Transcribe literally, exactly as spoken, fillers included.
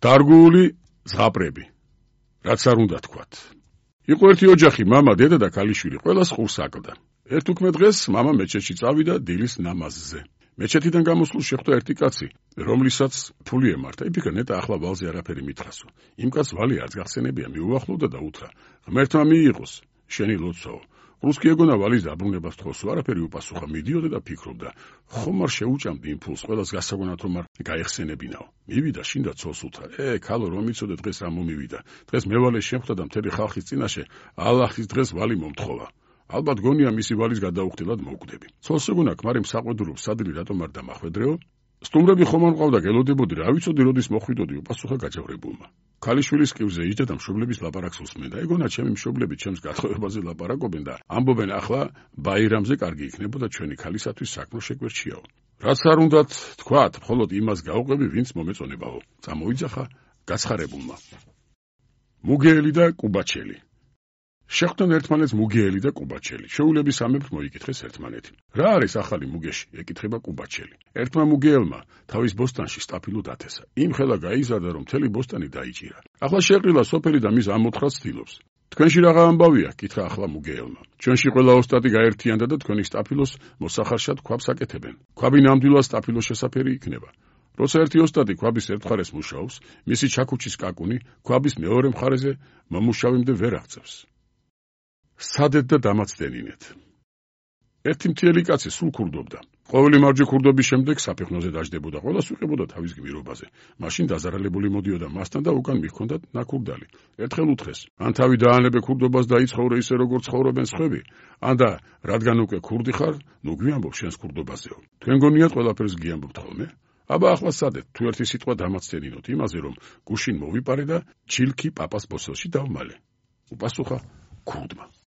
დარგული ზღაპრები. რაც არ უნდა თქვათ. იყო ერთი ოჯახი, მამა, დედა და ქალიშვილი, ყველას ხურს აკლდა. ერთ უქმე დღეს მამა მეჩეთში წავიდა დილის ნამაზზე. მეჩეთიდან გამოსულ შეხვდა ერთი კაცი, რომლისაც ფული ემართა. იფიქრა, ნეტა ახლა ვალზე არაფერი მითხრასო. იმ კაცს ვალი არც გახსენებია, მიუახლოვდა და უთხრა: ღმერთმა მიიღოს, შენი ლოცვაო. რუსკი ეგონა ვალის დაბრუნებას თხოვსო, არაფერი უპასუხა, მიდიოდა და ფიქრობდა: ხომ არ შეუჭამდი იმ ფულს, ყველას გასაგონად რომ არ გაეხსენებინაო. მივიდა შინ და ცოლს უთხრა: ე, ქალო, რომ იცოდე დღეს რა მომივიდა. დღეს მევალე შეხვდა და მთელი ხალხის წინაშე ალლაჰის დღეს ვალი მომთხოვა. ალბათ გონია მისი ვალის გადაუხდელად მოვკვდები. ცოლს ეგონა ქმარი მსაყვედურობს, სადილი რატომ არ დამახვედრეო? სტუმრები ხომ არ მყავდა, გელოდებოდი, რა ვიცოდი როდის მოხვიდოდი, უპასუხა გაჯავრებულმა. ქალიშვილის კივზე იჯდა და მშობლების ლაპარაკს უსმენდა. ეგონა ჩემი მშობლები ჩემს გათხოვებაზე ლაპარაკობენ და ამბობენ, ახლა ბაირამზე კარგი იქნებოდა ჩვენი ქალისათვის საქმრო შეგვერჩიაო. რაც არ უნდათ თქვათ, მხოლოდ იმას გაუყვები, ვინც მომეწონებაო. წამოიძახა გაცხარებულმა. მუგეელი და კუბაჩელი. შეხვდნენ ერთმანეთს მუგეელი და კუბაჩელი. შეულების ამებრ მოიკითხეს ერთმანეთი. რა არის ახალი მუგეში? ეკითხება კუბაჩელი. ერთმა მუგეელმა თავის ბოსტანში სტაფილო დათესა. იმ ხელა გაიზარდა, რომ მთელი ბოსტანი დაიჭირა. ახლა შეყრილა სოფელი და მის ამოთხრას ცდილობს. თქვენში რაღა ამბავია? კითხა ახლა მუგეელმა. ჩვენში ყველა ოსტატი გაერთიანდა და თქვენი სტაფილოს მოსახარშად ქვაბს აკეთებენ. ქვაბი ნამდვილად სტაფილოს შესაფერი იქნება. როცა ერთი ოსტატი ქვაბის ერთ მხარეს მუშაობს, მისი ჩაქუჩის კაკუნი ქვაბის მეორე მხარეზე მომუშავემდე ვერ აღწევს. სადეთ და დამაცდენინეთ. ერთი მთიელი კაცი სულ ქურდობდა. ყოველი მარჯვე ქურდობის შემდეგ საფეხნოზე დაждდებოდა, ყველას უყებოდა თავის გმირობაზე. მაშინ დაზარალებული მოდიოდა მასთან და უკან მიჰქონდათ ნაკურდალი. ერთხელ უთხრეს: ან თავი დაანებე ქურდობას და იცხოვრე ისე როგორც ცხოვრობენ სხვები, ან და რადგან უკვე ქურდი ხარ, ნუ გვიამბობ შენს ქურდობაზეო. თქვენ გონიათ ყველაფერს გიამბობთ ხოლმე? აბა ახლა სადეთ, თუ ერთი სიტყვა დამაცდენინოთ იმაზე, რომ გუშინ მოვიპარე და ჩილქი პაპას ბოსელში დავმალე. უპასუხა ქურდმა.